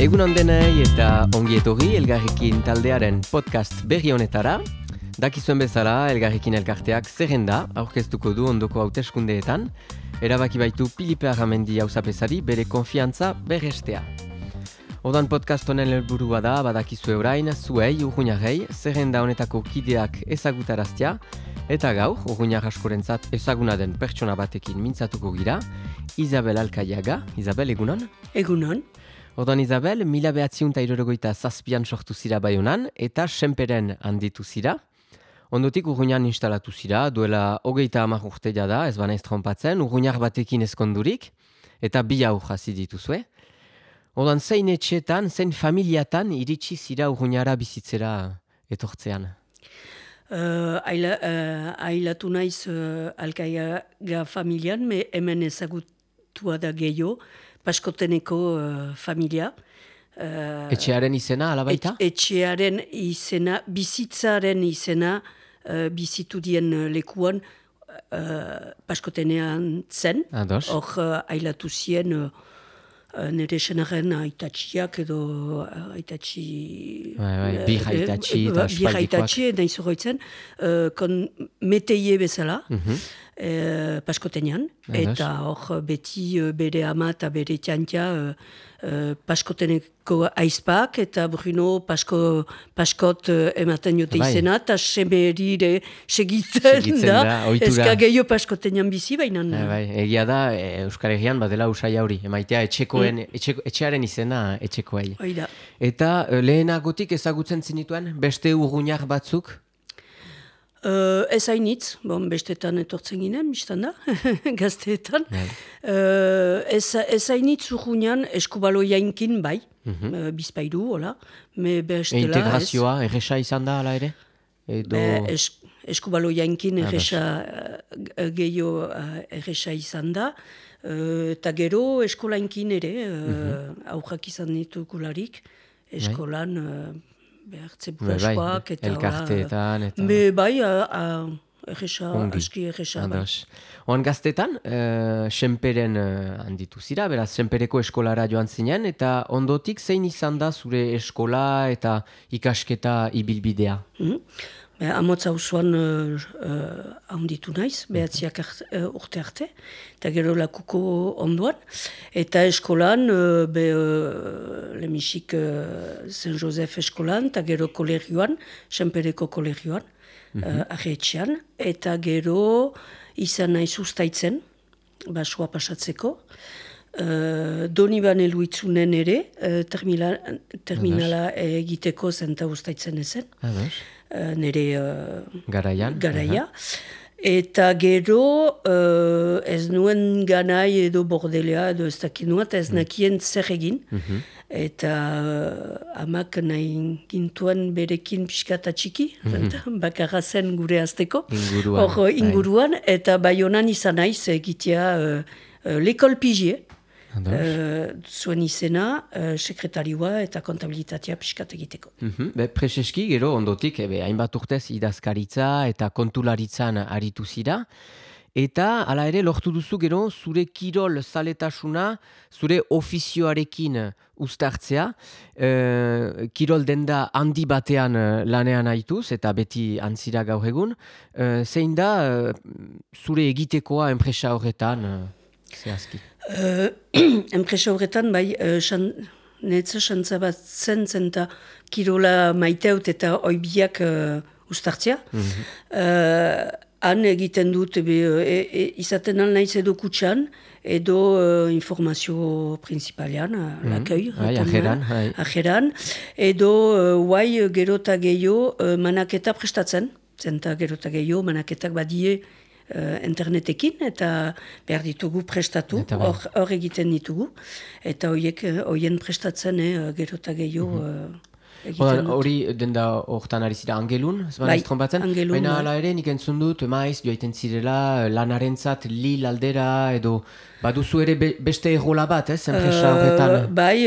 Egunon denei eta ongi etorri Elgarrekin taldearen podcast berri honetara. Dakizuen bezala, Elgarrekin elkarteak zerrenda aurkeztuko du ondoko hauteskundeetan, erabaki baitu Pilipe Arramendi auzapezari bere konfiantza berrestea. Odan podcast honen helburua da, badakizue orain, zuei, urruñarrei, zerrenda honetako kideak ezagutaraztea, eta gaur, urruñar askorentzat ezaguna den pertsona batekin mintzatuko gira, Isabel Alkaiaga. Isabel, egunon? Egunon. Ordan Isabel, 1967an sortu zira Baionan eta Senperen handitu zira. Ondotik Urruñan instalatu zira, duela 30 urte da, ez banaiz trompatzen, urruñar batekin ezkondurik, eta 2 haur hasi dituzue. Ordan zein etxetan, zein familiatan iritsi zira urruñara bizitzera etortzean? Ailatu naiz Alkaiaga familian, hemen ezagutua da gehiago, Paskoteneko familia. Etxearen izena, alabaita? Etxearen izena, bizitzaren izena, bizitu dien lekuan Paskotenean zen. Hor ailatu zien nire senaren aitatxiak edo aitatxi... Bir aitatxi eta espaldikoak. Bir aitatxi, nahi zoroitzen, meteie bezala. Paskotenean, eta hor beti bere ama eta bere txantia Paskoteneko aizpak eta Bruno Paskot ematen jote izena eta semerire segitzen da, ezka gehiago Paskotenean bizi baina. Egia da, Euskal Herrian badela usai hauri, emaitea etxearen izena etxekoei. Eta lehenagotik ezagutzen zinituen beste urruñar batzuk? Ez hainitz, bestetan etortzen ginen, biztan da, gazteetan. Ez hainitz urruñan eskubaloiainkin bai, bizpairu, hola. Integrazioa, erresa izan da, ala ere? Eskubaloiainkin erresa gehiago erresa izan da. Eta gero eskolainkin ere, aurrak izan ditugularik, eskolan... behartze buraskoak eta... Elkarteetan eta... Bai, aski erresa. Oan gaztetan, Senperen handitu zira, beraz, Senpereko eskolara joan zinen, eta ondotik zein izan da zure eskola eta ikasketa ibilbidea? Amotz hauzuan handitu naiz, behatziak urte arte, eta gero lakuko onduan. Eta eskolan, lemisik Saint Joseph eskolan, eta gero kolegioan, Senpereko kolegioan, arretxean. Eta gero izan naiz ustaitzen, basua pasatzeko. Doniban eluitzunen ere, terminala egiteko zenta ustaitzen ezen. Nire garaia. Eta gero ez nuen ganai edo bordelea edo ez dakit nuen, eta ez nakien zer egin. Eta amak nahi gintuen berekin pixkata txiki, bakarra zen gure azteko. Inguruan. Eta Baionan izan naiz egitea lekol pigie. Zuen izena, sekretarioa eta kontabilitatea pixkat egiteko. Prezeski, gero, ondotik, hainbat urtez idazkaritza eta kontularitzan aritu zira. Eta, hala ere, lortu duzu gero, zure kirol zaletasuna, zure ofizioarekin uztartzea. Kirol denda handi batean lanean haituz, eta beti antzira gaur egun. Zein da, zure egitekoa enpresa horretan, zehazki? Enpresa horretan, bai, netza xantza bat zen eta kirola maiteut eta oibiak ustartzea. Han egiten dut, izaten naiz edo kutsan, edo informazio principalean, lakoi. Ajeran. Edo guai gerota gehiago manaketa prestatzen. Zenta gerota gehiago manaketak badie internetekin, eta behar ditugu prestatu, hor egiten ditugu, eta horien prestatzen gerota gehiago egiten dut. Hori denda hortan ari zira Angelun, ez trompatzen? Baina ala ere, nik entzun dut, maiz, joaiten zirela, lanarentzat Lille aldera, edo baduzu ere beste errola bat, enpresa horretan? Bai,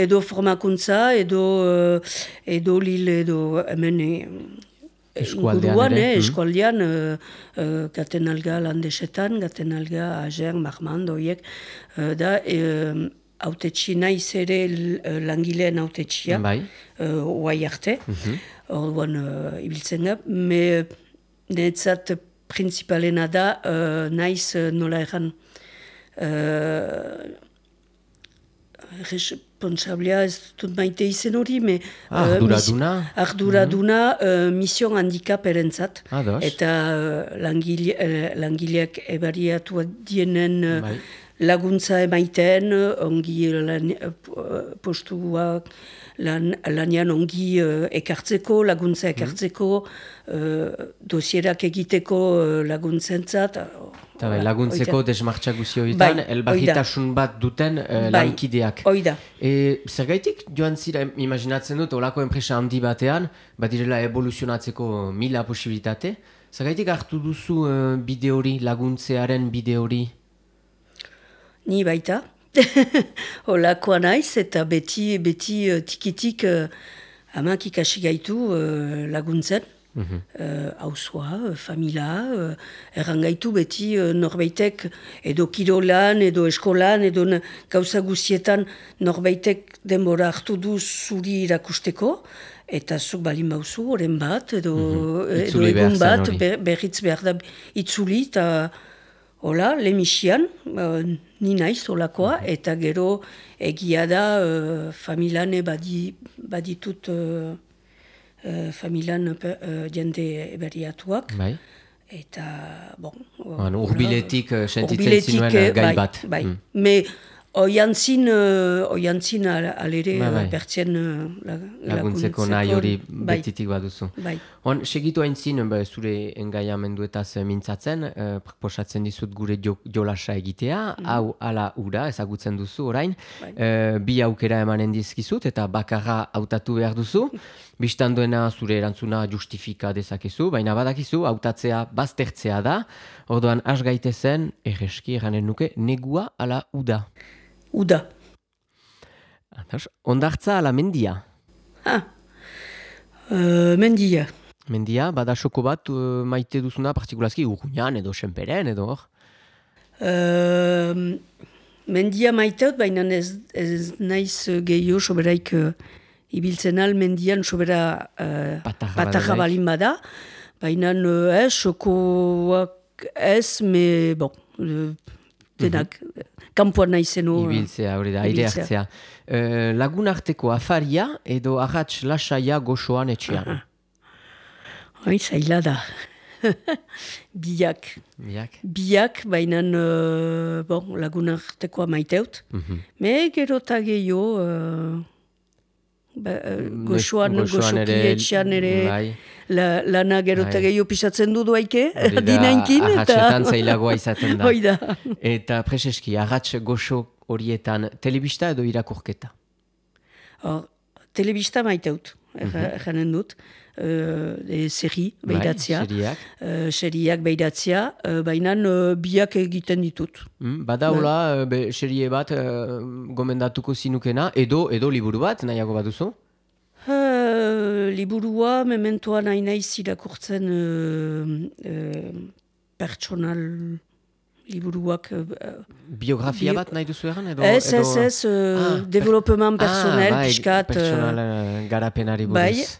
edo formakuntza, edo Lille, edo hemen... Eskualdean, gaten alga landesetan, gaten alga Ager, Marmand, oiek, da, autetxi naiz ere langileen autetxia, oai arte, orduan ibiltzen da, netzat principalena da, naiz nola egan, responsablea ez dut maite izen hori, arduraduna mision handikap erentzat, eta langileak ebariatu dienen laguntza emaiten, ongi postuak lanian ongi ekartzeko, laguntza ekartzeko, dosierak egiteko laguntzentzat. Laguntzeko desmartxak guzioetan, elbarritasun bat duten lankideak. Oida. Zergaitik joan zira, imaginatzen dut, olako enpresa handi batean, badirela evoluzionatzeko 1000 posibilitate. Zergaitik hartu duzu bide hori, laguntzearen bide hori? Ni baita. Olakoa naiz eta beti tikitik amak ikasi gaitu laguntzen. Hausua, familia, errangaitu beti norbaitek edo kirolan, edo eskolan, edo gauza guzietan norbaitek denbora hartu du zuri irakusteko, eta zuk balin bauzu, oren bat, edo egun bat, berriz behar da itzuli, eta hola, lemisian, ni naiz olakoa, eta gero egia da familiane baditut familian jende eberiatuak. Eta, urbiletik sentitzen zinuen gai bat. Me oiantzin alere bertzen laguntzeko nahi hori betitik baduzu. Segitu haintzin, zure engaiamenduetaz mintzatzen, proposatzen dizut gure jolasa egitea, hau ala ura ezagutzen duzu orain, bi aukera emanen dizkizut eta bakarra hautatu behar duzu, bistan duena zure erantzuna justifika dezakezu, baina badakizu hautatzea baztertzea da, orduan has gaitezen, erreski eranen nuke, negua ala uda. Uda. Ondartza ala mendia? Mendia. Mendia, bada soko bat maite duzuna partikulazki Urruñan edo Senperen edo hor? Mendia maiteut, baina ez naiz gehiago soberaik ibiltzen al mendian sobera patarra balin bada, baina sokoak ez, denak, kanpoan naizeno. Ibiltzea, hori da, aire hartzea. Lagun arteko afaria edo arratx lasaia goxoan etxean? Zaila da. Biak. Biak, baina lagun artekoa maiteut. Me gero eta gehiago goxoan etxean ere lana gero eta gehiago pisatzen du duaike, dinainkin. Arratxetan zailagoa izaten da. Oida. Eta preseski, arratx goxo horietan telebista edo irakurketa? Telebista maiteut, janen dut. Seri behidatzea. Seriak behidatzea, baina biak egiten ditut. Bada hola, serie bat gomendatuko zinukena, edo liburu bat, nahiago baduzu? Liburua, mementoa nahi naiz irakurtzen pertsonal liburuak. Biografia bat nahi duzu egan? Ez, developement personel, piskat. Personal garapenari buruz.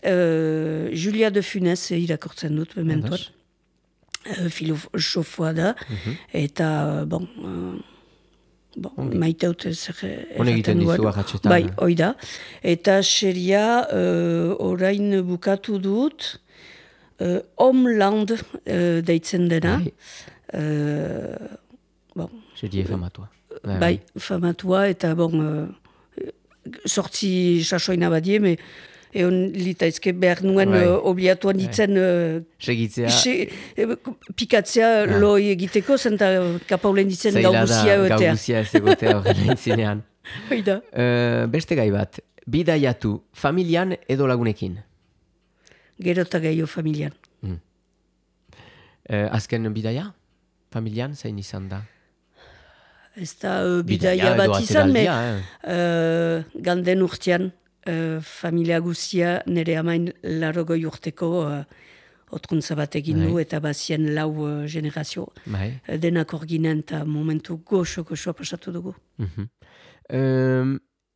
Julia de Funes irakurtzen dut, mementoan. Filosofoa da, eta, maiteut ez egiten dizu arratxetan. Bai, oida. Eta seria orain bukatu dut, Homeland deitzen dena. Serie famatua. Bai, famatua, eta sortzi sasoina badie, egon litaizke behar nuen obliatuan ditzen pikatzea loi egiteko, zenta kapaulen ditzen gauguzia egotea. Gauguzia ez egotea horren entzinean. Beste gai bat, bidaiatu familian edo lagunekin? Gero eta gehiago familian. Azken bidaia? Familian, zein izan da? Ez da bidaia bat izan, ganden urtean familia guzia nire amain 80 urteko otruntza bat egin du, eta bazien 4 generazio. Denak hor ginen, eta momentu goxo-goxoa pasatu dugu.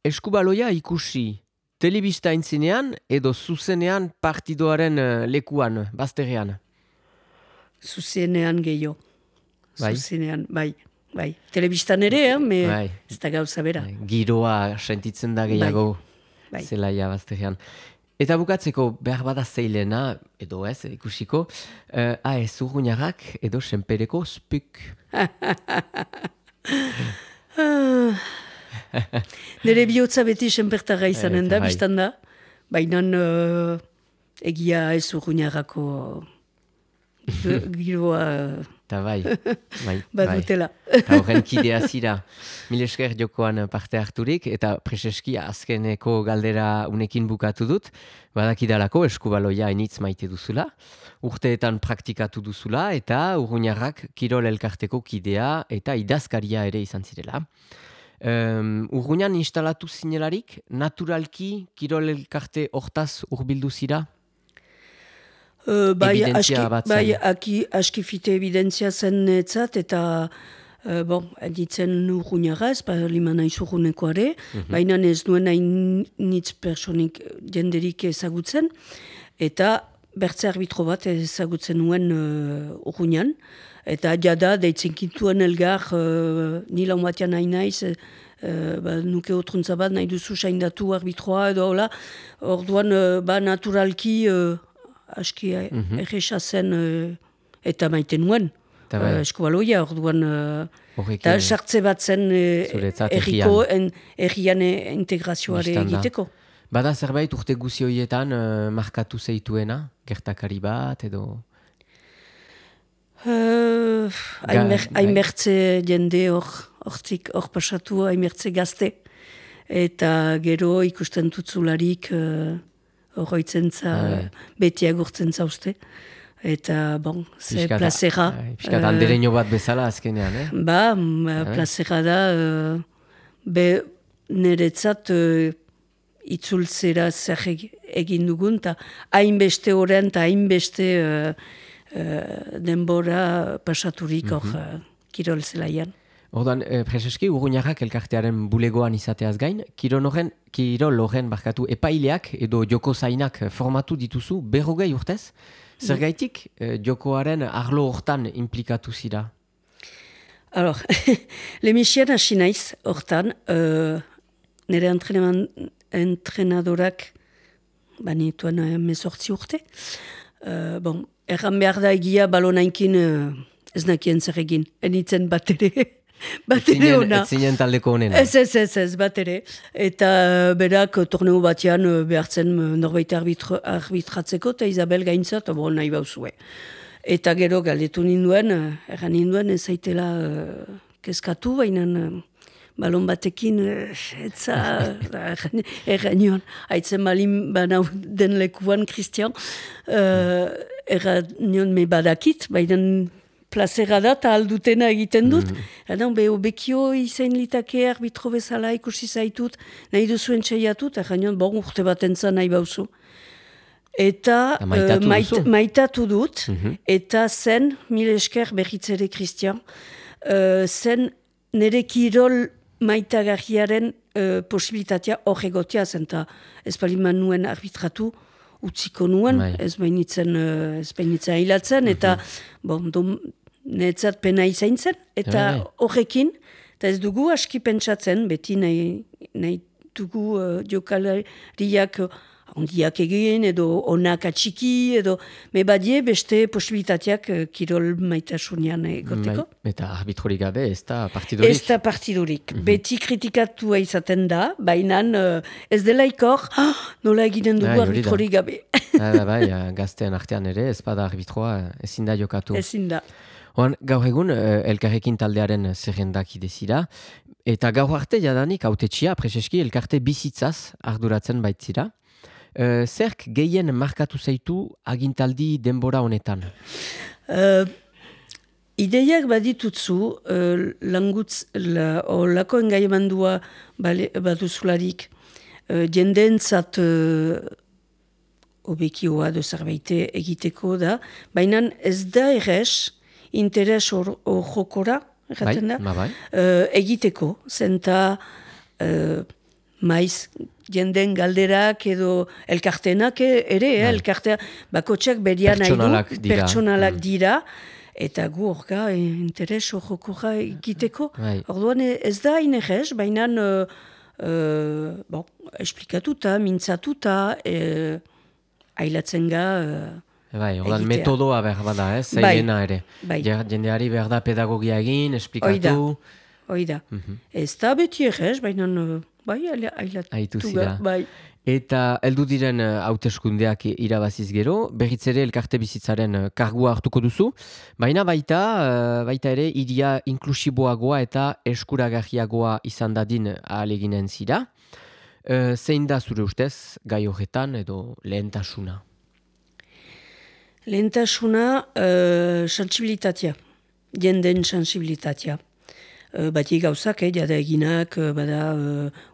Eskubaloia ikusi, telebista intzinean edo zuzenean partidoaren lekuan, bazterrean? Zuzenean gehiago. Zuzenean, bai. Telebistan ere, ez da gauza bera. Giroa sentitzen da gehiago zelaia bazterrean. Eta bukatzeko behar bada zeilena, edo ez, ikusiko, AS Urruñarrak edo Senpereko Spuk. Nire bihotza beti Senpertarra izanen da, biztan da. Baina egia AS Urruñarrako giroa... Eta bai. Badutela. Eta horren kidea zira. Mil esker jokoan parte harturik, eta preseski azkeneko galdera unekin bukatu dut. Badakidalako eskubaloia enitz maite duzula. Urteetan praktikatu duzula, eta Urruñarrak Kirol elkarteko kidea eta idazkaria ere izan zirela. Urruñan instalatu zinelarik, naturalki Kirol elkarte hortaz hurbildu zira? Bai, askifite evidentzia zen etzat, eta editzen Urruñarra, ez liman naiz urrunekoare, baina ez duen hain nitz personik jenderik ezagutzen, eta bertze arbitro bat ezagutzen nuen Urruñan, eta jada deitzen kintuen elgar nila batean nahi naiz, nuke otruntza bat nahi duzu saindatu arbitroa edo hola, orduan naturalki aski erresa zen eta maiten nuen eskubaloia, orduan eta sartze bat zen erriko errian integrazioare egiteko. Bada zerbait urte guzi horietan markatu zeituena, gertakari bat edo? Hainbertze jende hor pasatu, hainbertze gazte, eta gero ikusten tutzularik horroitzen beti agurtzen zauzte. Eta, ze plazera. Piskat andereño bat bezala azkenean, plazera da, niretzat itzultzera zer egin dugun, eta hainbeste horren, eta hainbeste denbora pasaturik hor Kirol zelaian. Ordan, preseski, Urruñarrak elkartearen bulegoan izateaz gain, Kirol horren epaileak edo joko zainak formatu dituzu 40 urtez? Zergaitik jokoaren arlo hortan implikatu zira? Alors, lemisian hasi naiz hortan, nire entrenadorak banituan 18 urte. Erran behar da egia balonainkin ez nakien zer egin, enitzen bat ere. Ez zinen taldeko honen. Ez, bat ere. Eta berak torneo batean behartzen norbait arbitratzeko, eta Isabel gaintzat, nahi bauzue. Eta gero galdetu ninduen, erran ninduen ez zaitela kezkatu, baina balon batekin etza erran nion. Haitzen balin banau den lekuan, Christian, erran nion me badakit, baina plazera da, eta aldutena egiten dut. Bekio izain litake arbitro bezala ikusi zaitut, nahi duzuen txaiatut, eta urte bat entzan nahi bauzu. Eta maitatu dut, eta zen, mil esker berritzere Christian, zen nire Kirol maitagarriaren posibilitatea hor egotea zen, eta ez baliman nuen arbitratu, utziko nuen, ez bainitzen hilatzen, eta netzat pena izain zen, eta horrekin, eta ez dugu aski pentsatzen, beti nahi dugu jokalariak ondiak egin, edo onak atxiki, edo badie beste posibilitateak Kirol maitasunian egoteko. Eta arbitrorik gabe, ez da partidorik? Ez da partidorik. Beti kritikatua izaten da, baina ez dela ikor, nola eginen dugu arbitrorik gabe. Gaztean artean ere, ez bada arbitroa ezin da jokatu. Ezin da. Gaur egun, elkarrekin taldearen zerrendak idezira, eta gaur arte jadanik autetxia, preseski, elkarte bizitzaz arduratzen baitzira. Zerk gehien markatu zaitu agintaldi denbora honetan? Ideiak baditutzu, lako engaimendua baduzularik, jendeentzat obekioa do zerbait egiteko da, baina ez da errez interes jokora, erraten da, egiteko, zenta maiz jenden galderak edo elkartenak ere, elkartea bakotxak berian nahi du, pertsonalak dira, eta gu horka interes jokora egiteko. Orduan ez da inerrez, baina esplikatuta, mintzatuta, ailatzen ga Ordan metodoa behar bada, zeirena ere. Jendeari behar da pedagogia egin, esplikatu. Oida. Ez da beti errez, baina ailatu ga. Eta heldu diren hauteskundeak irabaziz gero, berriz ere elkarte bizitzaren kargua hartuko duzu, baina baita ere hiria inklusiboagoa eta eskuragarriagoa izan dadin ahaleginen zira. Zein da zure ustez gai horretan edo lehentasuna? Lehentasuna, sensibilitatea, jenden sensibilitatea. Bati gauzak, jada eginak, bada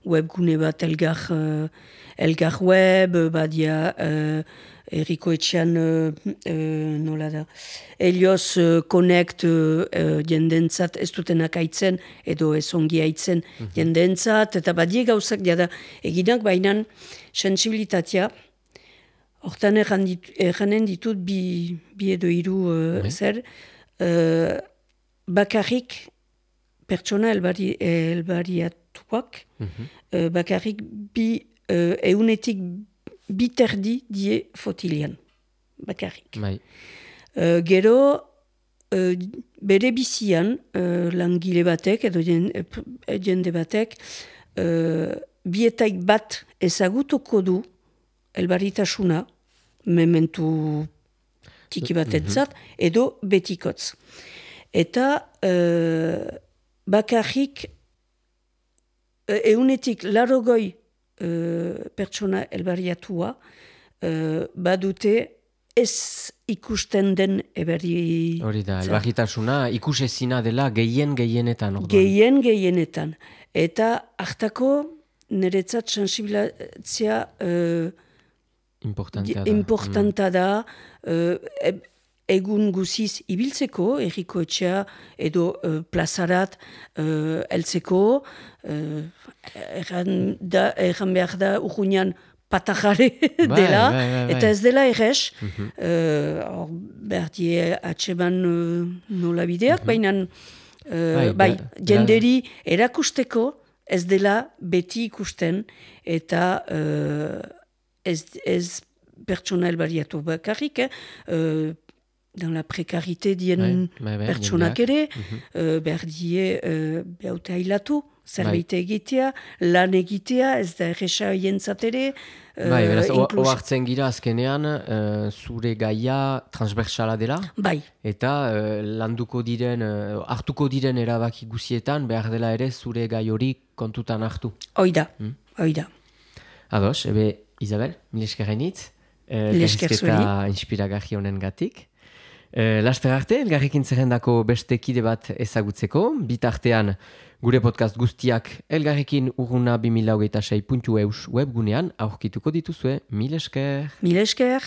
webgune bat elgar web, badia erriko etxean, nola da, Elioz Connect jendentzat ez dutenak aitzen, edo ez ongi aitzen jendentzat, eta badia gauzak, jada eginak, bainan sensibilitatea, hortan erranen ditut bi edo hiru zer, bakarrik pertsona elbariatuak, bakarrik eunetik biterdi die fotilian, bakarrik. Gero, bere bizian, langile batek edo jende batek, bietaik bat ezagutuko du elbaritasuna, mementu tiki batetzat, edo betikotz. Eta bakarrik eunetik larogoi pertsona elbariatua badute ez ikusten den eberri. Hori da, elbaritasuna ikusezina dela gehienetan. Gehienetan. Eta hartako niretzat sensibilizatzea importanta da, egun guziz ibiltzeko, erriko etxea edo plazarat heltzeko, erran behar da urruñan patajare dela, eta ez dela errez, behar die atseban nola bideak, baina jenderi erakusteko ez dela beti ikusten, eta ez pertsona elbariatu bakarrik, dans la prekarite dien pertsonak ere, behar die behaute hailatu, zerbait egitea, lan egitea, ez da erresa jentzat ere. Oartzen gira azkenean, zure gaia transversala dela, eta landuko diren, hartuko diren erabaki guzietan, behar dela ere zure gai hori kontutan hartu. Oida. Ados, Isabel, mil esker hainitz, elkarrizketa inspiragarri honen gatik. Laster arte, elgarrekin zerrendako beste kide bat ezagutzeko, bitartean gure podcast guztiak elgarrekin urruna 2026.eus webgunean aurkituko dituzue. Mil esker. Mil esker.